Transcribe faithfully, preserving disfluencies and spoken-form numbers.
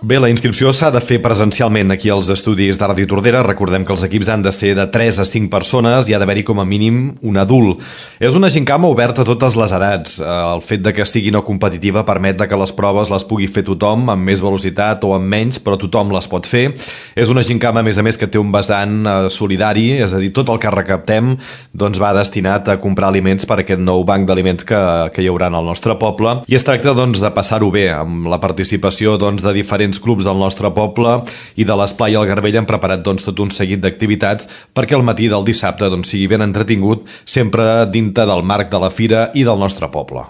Bé, la inscripció s'ha de fer presencialment aquí als estudis de Ràdio Tordera. Recordem que els equips han de ser de tres a cinc persones i ha d'haver-hi com a mínim un adult. És una gincama oberta a totes les edats. El fet de que sigui no competitiva permet que les proves les pugui fer tothom, amb més velocitat o amb menys, però tothom les pot fer. És una gincama, a més a més, que té un vessant solidari, és a dir, tot el que recaptem doncs, va destinat a comprar aliments per aquest nou banc d'aliments que, que hi haurà en el nostre poble. I es tracta doncs, de passar-ho bé, amb la participació doncs, de diferents clubs del nostre poble i de l'Esplai al Garbell han preparat doncs, tot un seguit d'activitats perquè el matí del dissabte doncs, sigui ben entretingut, sempre dintre del marc de la fira i del nostre poble.